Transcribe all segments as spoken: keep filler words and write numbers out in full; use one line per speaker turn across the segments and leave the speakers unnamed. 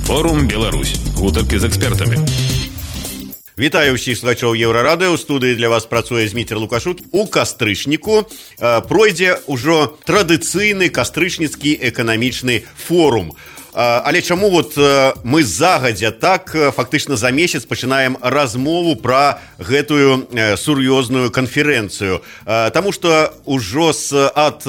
Форум Беларусь. Гутаркі з экспертамі.
Вітаю ўсіх слухачоў Еўрарадыё. У студыі для вас працуе Зміцер Лукашук. У кастрычніку э, пройдзе ўжо традыцыйны кастрычніцкі эканамічны форум. Але чаму вот мы загадзя так фактычна за месяц пачынаем размову пра гэтую сур'ёзную канферэнцыю? Таму што ўжо з ад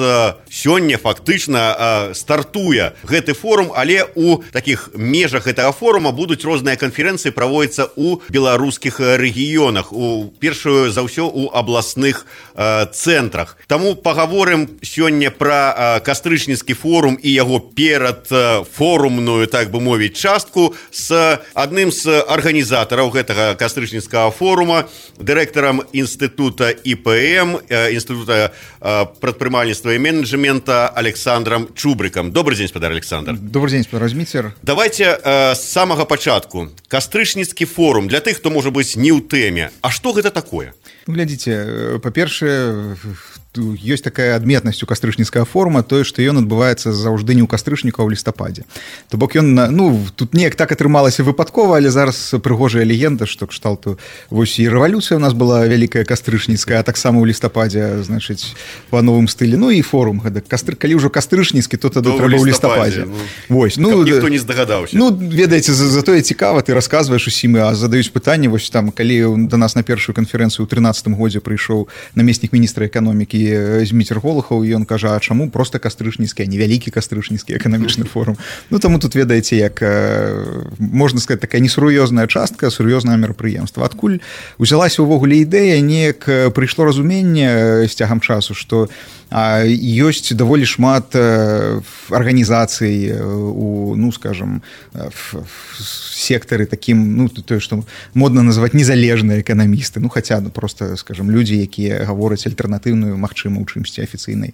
сёння фактычна стартуе гэты форум, але у такіх межах гэтага форума будуць розныя канферэнцыі праводзіцца ў беларускіх рэгіёнах, у першую за ўсё у абласных цэнтрах. Таму пагаворым сёння пра кастрычніцкі форум і яго перад форумам форумную, так бы мовіць, частку з адным з арганізатараў гэтага кастрычніцкага форума, дырэктарам інстытута І Пэ Эм, інстытута прадпрымальніцтва і менеджмента Александром Чубрыкам. Добрый день, спадар Александр.
Добрый день, спадар Зміцер.
Давайте з самага пачатку. Кастрычніцкі форум, для тых, хто можа быць не ў тэме. А што гэта такое?
Ну, глядзіце, па-першае, ёсць такая адметнасць у кастрычніцкага форума, тое, што ён адбываецца заўжды не ў кастрычніку, а ў лістападзе. То бок ён, ну, тут неяк так атрымалася выпадкова, але зараз прыгожая легенда, што кшталту вось і рэвалюцыя у нас была вялікая кастрычніцкая, а таксама ў лістападзе, значыць, па новым стылі. Ну і форум гэта кастры, калі ўжо кастрычніцкі, то тады трэба ў лістападзе.
Ну,
вось, ну,
ніхто не здагадаўся.
Ну, ведаеце, затое цікава, ты расказваеш усім, а задаюць пытанне, вось там, калі да нас на першую канферэнцыю ў трынаццатым годзе прыйшоў намеснік міністра эканомікі Зміцер Голухаў, і ён кажа, а чаму проста кастрычніцкі, а не вялікі кастрычніцкі эканамічны форум? Ну, таму тут, ведаеце, як, можна сказаць, такая несур'ёзная частка, сур'ёзнае мерапрыемства. Адкуль узялася ўвогуле ідэя, неяк прыйшло разуменне з цягам часу, што ёсць даволі шмат арганізацый у, ну, скажем, в сектары такім, ну, тое, што модна называць незалежныя эканамісты, ну, хаця просто, скажем, людзі, якія гавораць альтэрнатыўную, магчыма, у чымсьці афіцыйнай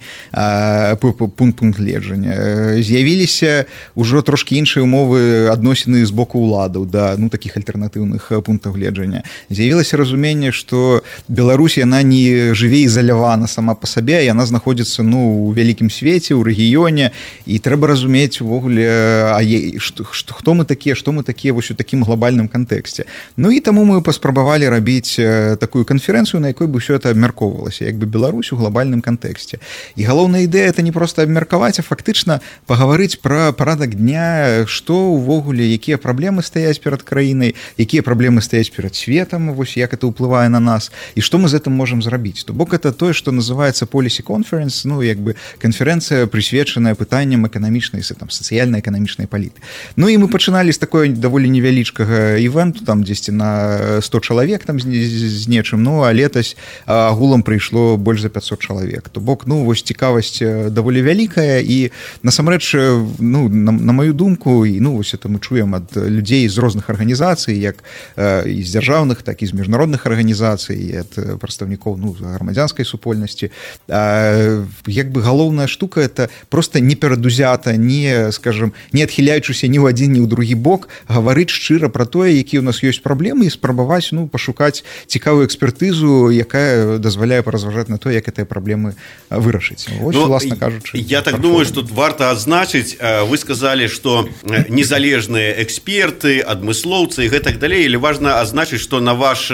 пункт пункт гледжання. З'явіліся ўжо трошкі іншыя умовы адносіны з боку ўладаў да, ну, такіх альтэрнатыўных пунктаў гледжання. З'явілася разуменне, што Беларусь, яна не жыве ізалявана сама па сабе, яна знаходзіцца, ну, у вялікім свеце, у рэгіёне, і трэба разумець увогуле, а е, што, што, хто мы такія, што мы такія вось у такім глобальным кантэксце. Ну і таму мы паспрабавалі рабіць такую канферэнцыю, на якой бы ўсё это абмяркоўвалася, як бы Беларусь у глобальным кантэксце. І галоўная ідэя это не проста абмеркаваць, а фактычна пагаварыць пра парадак дня, што ўвогуле, якія праблемы стаяць перад краінай, якія праблемы стаяць перад светам, вось як это ўплывае на нас, і што мы з гэтым можам зрабіць. То бок это тое, што называецца Policy Conference, ну, як бы канферэнцыя, прысвечаная пытанням эканамічнай, там, сацыяльна-эканамічнай палітыкі. Ну і мы пачыналі з такой даволі невялічкага івенту, там дзесьці на сто чалавек там з, з нечым, ну, а летась агулам прыйшло больш за пятьсот чалавек. То бок, ну, вось цікавасць даволі вялікая, і насамрэч, ну, на, на маю думку, і, ну, вось это мы чуем ад людзей з розных арганізацый, як э, і з дзяржаўных, так і з міжнародных арганізацый, і ад прадстаўнікоў, ну, грамадзянскай супольнасці. А, як бы галоўная штука это просто не перадузята, не, скажем, не адхіляючыся ні ў адзін, ні ў другі бок, гаварыць шчыра пра тое, якія ў нас ёсць праблемы, і спрабаваць, ну, пашукаць цікавую экспертызу, якая дазваляе паразважаць на то, як гэтыя праблемы вырашыць. Вось, ну, власна кажучы.
Я так думаю, что тут варта адзначыць, вы сказали, что незалежныя эксперты, адмыслоўцы і гэтак далей, или важна адзначыць, что на ваш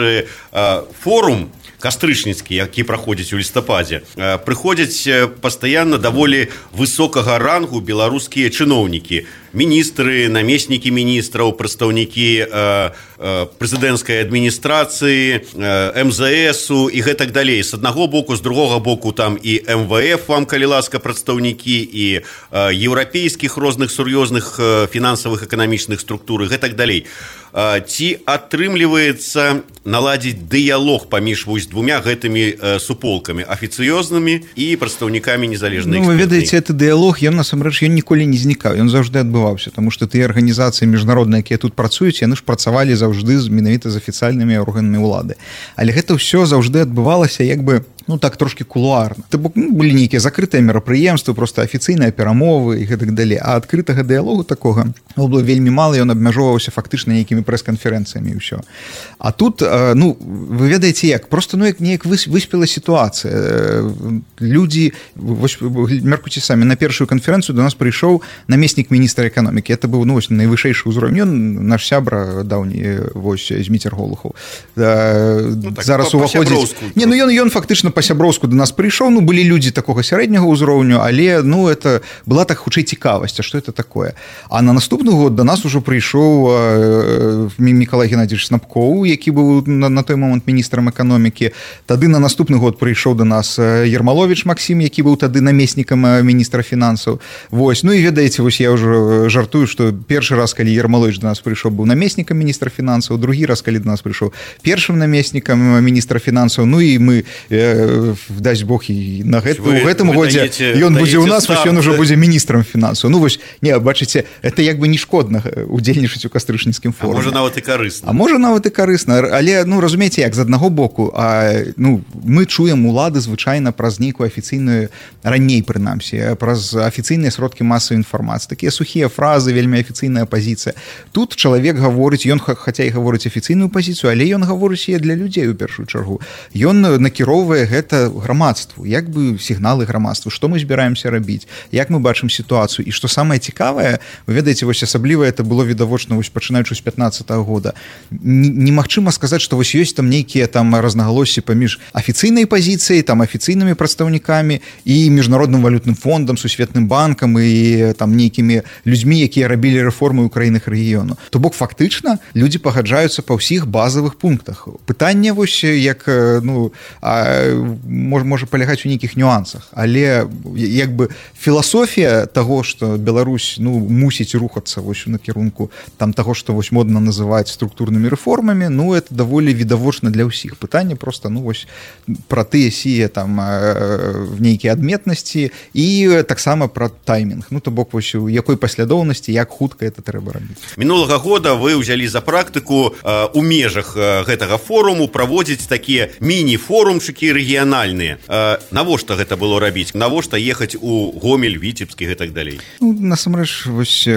форум кастрычніцкі, які праходзіць у лістападзе, прыходзяць пастаянна даволі высокага рангу беларускія чыноўнікі, міністры, намеснікі міністраў, прадстаўнікі э, э, прэзідэнцкай адміністрацыі, э, эм зэ эсу і гэтак далей. З аднаго боку, з другога боку там і эм вэ эф, вам, калі ласка, прадстаўнікі, і э, еўрапейскіх розных сур'ёзных э, фінансавых эканамічных структур і гэтак далей. Э, ці атрымліваецца наладзіць дыялог паміж вось двумя гэтымі э, суполкамі, афіцыёзнымі і прадстаўнікамі незалежнай экспертнай?
Ну, вы ведаеце, гэты дыялог, ён насамрэч, ён ніколі не знікаў, ён заўжды адбываўся, таму што тыя арганізацыі міжнародныя, якія тут працуюць, яны ж працавалі заўжды з, менавіта з афіцыйнымі органамі ўлады. Але гэта ўсё заўжды адбывалася як бы ну так трошки кулуарна. То бок, ну, былі нейкія закрытыя мерапрыемствы, просто афіцыйныя перамовы і гэтак далей. А адкрытага дыялогу такога было вельмі мала, ён абмяжоўваўся фактычна нейкімі прэс-канферэнцыямі і ўсё. А тут, ну, вы ведаеце як, просто ну як неяк выспела сітуацыя. Людзі, вось мяркуйце самі, на першую канферэнцыю до нас прыйшоў намеснік міністра эканомікі. Это быў, ну, вось найвышэйшы ўзровень. Ён наш сябра даўні, вось Зміцер Голухаў.
Ну, так,
зараз уваходзіць. Не, ну ён ён фактычна па-сяброўску до нас прыйшоў, ну былі людзі такога сярэдняга ўзроўню, але ну это была так хутчэй цікавасць, а што это такое. А на наступны год до нас ужо прыйшоў Мікалай Геннадзійович Снапкоў, які быў на, на той момант міністрам эканомікі. Тады на наступны год прыйшоў до нас Ермалович Максім, які быў тады намеснікам міністра фінансаў. Вось, ну і ведаеце, вось я ўжо жартую, што першы раз, калі Ермалович до нас прыйшоў, быў намеснікам міністра фінансаў, другі раз, калі до нас прыйшоў першым намеснікам міністра фінансаў, ну і мы э, дасць Бог і на гэт, вы, у гэтым годзе ён будзе ў нас, вось ён ужо будзе міністрам фінансаў. Ну вось, не, бачыце, это як бы не шкодна удзельнічаць у кастрычніцкім форуме.
А можа нават і карысна.
А можа нават і карысна, але ну разумееце як, з аднаго боку, а ну мы чуем улады звычайна праз нейкую афіцыйную, раней прынамсі, праз афіцыйныя сродкі масавай інфармацыі, такія сухія фразы, вельмі афіцыйная пазіцыя. Тут чалавек гаворыць, ён хаця і гаворыць афіцыйную пазіцыю, але ён гаворыць яе для людзей у першую чаргу. Ён накіроўвае гэта грамадству, як бы сігналы грамадству, што мы збіраемся рабіць, як мы бачым сітуацыю. І што самае цікавае, вы ведаеце, вось асабліва это было відавочна вось пачынаючы з пятнаццатага года. Немагчыма сказаць, што вось ёсць там нейкія там разнагалоссі паміж афіцыйнай пазіцыяй, там афіцыйнымі прадстаўнікамі і міжнародным валютным фондам, сусветным банкам і там нейкімі людзьмі, якія рабілі рэформы ў краінах рэгіёну. То бок фактычна людзі пагаджаюцца па ўсіх базавых пунктах. Пытанне вось як ну можа можа палягаць у нейкіх нюансах, але як бы філасофія таго, што Беларусь ну мусіць рухацца вось у накірунку там таго, што вось модна называць структурнымі рэформамі, ну это даволі відавочна для ўсіх. Пытанне просто ну вось пра тыя сія там нейкія адметнасці і таксама пра таймінг. Ну то бок вось у якой паслядоўнасці, як хутка это трэба рабіць.
Мінулага года вы ўзялі за практыку э, у межах э, гэтага форуму праводзіць такія міні-форумчыкі рэгіянальныя. Э, навошта гэта было рабіць? Навошта ехаць у Гомель, Віцебск і гэтак далей?
Ну, насамрэч, вось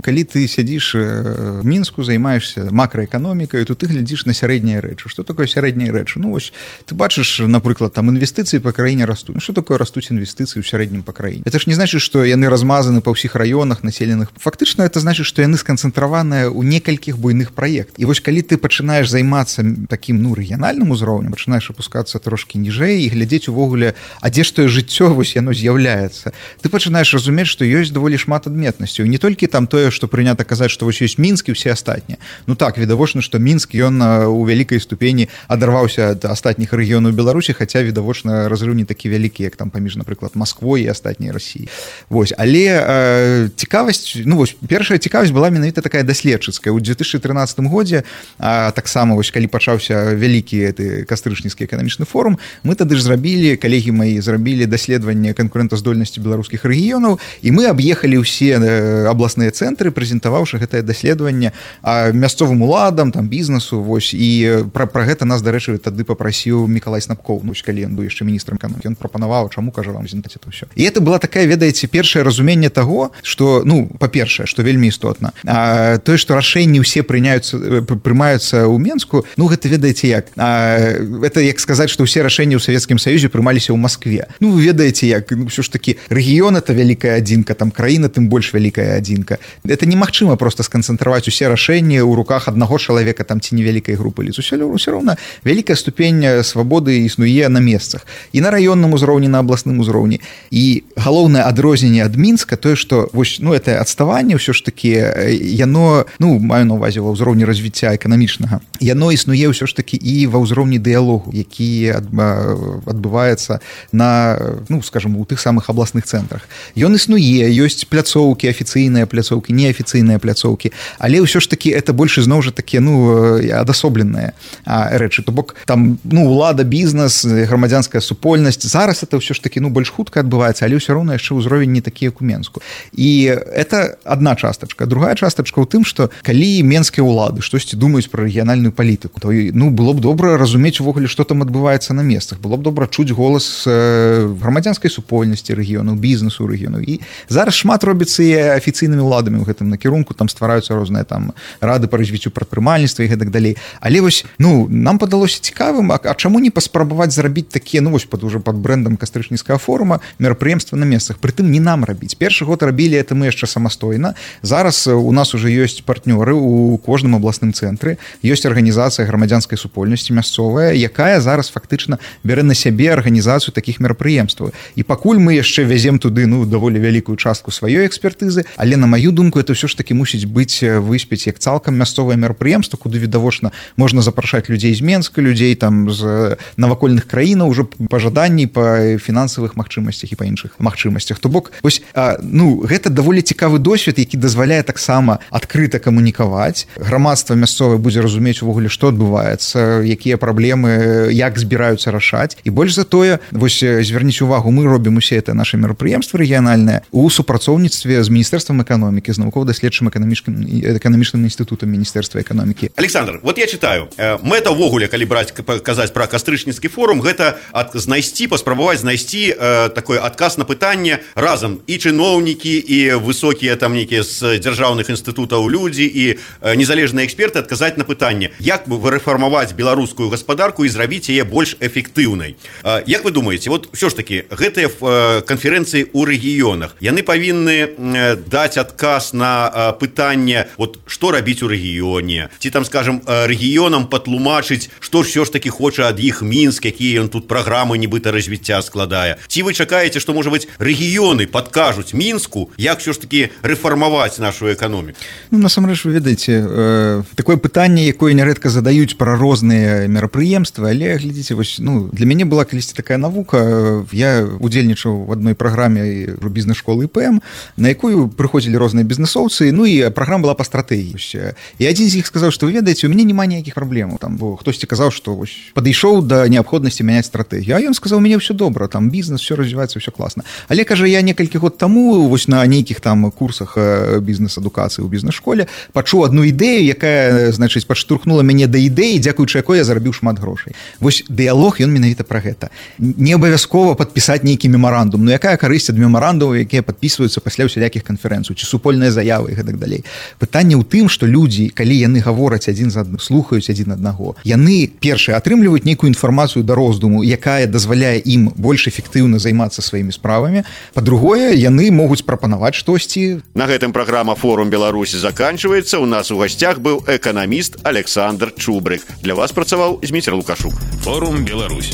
калі ты сядзіш в Мінску, займаешься макраэканомікай, то ты глядзіш на сярэднія рэчы. Што такое сярэднія рэчы? Ну вось ты бачыш, напрыклад, там інвестыцыі па краіне растуць. Ну што такое растуць інвестыцыі ў сярэднім па краіне? Это ж не значыць, што яны размазаны па ўсіх раёнах населеных. Фактычна это значыць, што яны сканцэнтраваныя ў некалькіх буйных праектах. І вось калі ты пачынаеш займацца такім ну рэгіянальным узроўнем, пачынаеш апускацца трошкі ніжэй і глядзець увогуле, а дзе ж тое жыццё вось яно з'яўляецца. Ты пачынаеш разумець, што ёсць даволі шмат адметнасцяў. Не толькі там тое, што прынята казаць, што вось ёсць Мінск і ўсе астатнія. Ну так, відавочна, што Мінск ён у вялікай ступені адарваўся ад астатніх рэгіёнаў Беларусі, хаця відавочна разрыў не такі вялікі, як там паміж, напрыклад, Масквой і астатняй Расіі. Вось, але э, цікавасць, ну вось першая цікавасць была менавіта такая даследчыцкая. У две тысячи тринадцатым годзе а, таксама вось калі пачаўся вялікі кастрычніцкі эканамічны форум, мы тады ж зрабілі, калегі мои зрабілі даследаванне канкурэнтаздольнасці беларускіх рэгіёнаў, і мы аб'ехалі ўсе абласныя цэнтры, прэзентаваўшы гэтае даследаванне мясцовым уладам, там бізнесу, вось, і пра, пра гэта нас, дарэчы, тады папрасіў Мікалай Снапкоў, ну, калі ён быў яшчэ міністрам эканомікі. Ён прапанаваў, чаму, кажа, вам зінтаць это ўсё. І это была такая, ведаеце, першае разуменне таго, што, ну, па-першае, што вельмі істотна, а, тое, што рашэнні ўсе прыняюцца, прымаюцца ў Менску, ну, гэта, ведаеце, як? А, это як сказаць, што ўсе рашэнні ў Савецкім Саюзе прымаліся ў Маскве. Ну, вы ведаеце, як, ну, ўсё ж такі, рэгіён — это вялікая адзінка, там краіна тым больш вялікая адзінка. Это немагчыма проста сканцэнтраваць усе рашэнні ў руках аднаго чалавека там ці невялікай групы лиц. Усё роўна вялікая ступень свабоды існуе на месцах. І на раённым узроўні, на абласным узроўні. І галоўнае адрозненне ад Мінска тое, што вось, ну, это адставанне ўсё ж такі, яно, ну, маю на ўвазе ва ўзроўні развіцця эканамічнага, яно існуе ўсё ж такі і ва ўзроўні дыялогу, які адбываецца на, ну, скажем, у тых самых абласных цэнтрах. Ён існуе, ёсць пляцоўкі, афіцыйныя пляцоўкі, неафіцыйныя пляцоўкі, але ўсё ж такі это больш ізноў жа такі, ну, адасобленыя рэчы. То бок там, ну, улада, бізнес, грамадзянская супольнасць. Зараз это ўсё ж такі, ну, больш хутка адбываецца, але ўсё роўна яшчэ ўзровень не такі, як у Менску. І это адна частачка. Другая частачка ў тым, што калі менскія ўлады штосьці думаюць пра рэгіянальную палітыку, то, ну, было б добра разумець увогуле, што там адбываецца на месцах. месцах, было б добра чуць голас грамадзянскай супольнасці рэгіёнаў, бізнесу рэгіёнаў. І зараз шмат робіцца і афіцыйнымі ўладамі ў гэтым накірунку, там ствараюцца розныя там рады па развіццю прадпрымальніцтва і гэтак далей. Але вось, ну, нам падалося цікавым, а, а чаму не паспрабаваць зрабіць такія, ну вось пад уже пад брэндам кастрычніцкага форума мерапрыемства на месцах. Прытым не нам рабіць. Першы год рабілі это мы яшчэ самастойна. Зараз у нас уже ёсць партнёры у кожным абласным цэнтры, ёсць арганізацыя грамадзянскай супольнасці мясцовая, якая зараз фактычна бярэ на сябе арганізацыю такіх мерапрыемстваў. І пакуль мы яшчэ вязем туды, ну, даволі вялікую частку сваёй экспертызы, але на маю думку это ўсё ж такі мусіць быць выспець як цалкам мясцовае мерапрыемства, куды відавочна можна запрашаць людзей з Менска, людзей там з навакольных краінаў уже па жаданні, па фінансавых магчымасцях і па іншых магчымасцях. То бок, вось, а, ну, гэта даволі цікавы досвед, які дазваляе таксама адкрыта камунікаваць. Грамадства мясцовае будзе разумець увогуле, што адбываецца, якія праблемы, як збіраюцца рашаць. І больш за тое, вось звярніце увагу, мы робім усе это наше мерапрыемства рэгіянальнае у супрацоўніцтве з Міністэрствам эканомікі, з навукова-даследчым эканамічным эканамічным інстытутам Міністэрства эканомікі.
Александр, вот я читаю, мэта ўвогуле, калі браць казаць пра кастрычніцкі форум, гэта ад, знайсці, паспрабаваць знайсці э, такой адказ на пытанне разам і чыноўнікі, і высокія там нейкія з дзяржаўных інстытутаў людзі, і э, незалежныя эксперты адказаць на пытанне, як бы вырэфармаваць беларускую гаспадарку і зрабіць яе больш эфектыўнай. Э, як вы думаеце, вот ўсё ж такі гэтыя э, канферэнцыі ў рэгіёнах, яны павінны э, даць адказ на э, пытанне, вот што рабіць у рэгіёне, ці там, скажем, э, рэгіёнам патлумачыць, што ж ўсё ж такі хоча ад іх Мінск, якія ён тут праграмы нібыта развіцця складае. Ці вы чакаеце, што, можа быць, рэгіёны падкажуць Мінску, як ўсё ж такі рэфармаваць нашу эканоміку?
Ну, насамрэч, вы ведаеце, э, такое пытанне, якое нярэдка задаюць пра розныя мерапрыемствы, але, глядзіце, вось, ну, для мяне была калісьці такая навука, я удзельнічаў в адной праграме бізнес-школы ІПМ, на якую прыходзілі розныя бізнесоўцы, ну і праграма была па стратэгіі. І адзін з іх сказаў, што вы ведаеце, у мяне няма ніякіх праблемаў, там, бо хтосьці казаў, што вось падышоў да неабходнасці мяняць стратэгію, а ён сказаў, у мяне ўсё добра, там бізнес, все развіваецца, все класна. Але, кажа, я некалькі год таму вось на нейкіх там курсах бізнес-адукацыі ў бізнес-школе пачуў адну ідэю, якая, значыць, падштурхнула мяне да ідэі, дзякуючы якой я зарабіў шмат грошай. Вось дыялог, ён менавіта пра гэта. Не абавязкова падпісаць нейкі мемарандум, ну якая карысць ад мемарандумаў, якія падпісваюцца пасля ўсялякіх канферэнцый, ці супольныя заявы і гэтак далей. Пытанне ў тым, што людзі, калі яны гавораць адзін з адным, слухаюць адзін аднаго, яны, першае, атрымліваюць нейкую інфармацыю да роздуму, якая дазваляе ім больш эфектыўна займацца сваімі справамі. Па-другое, яны могуць прапанаваць штосьці.
На гэтым праграма «Форум Беларусі» заканчваецца. У нас у гасцях быў эканаміст Александр Чубрык. Для вас працаваў Зміцер Лукашук.
«Форум Беларусь».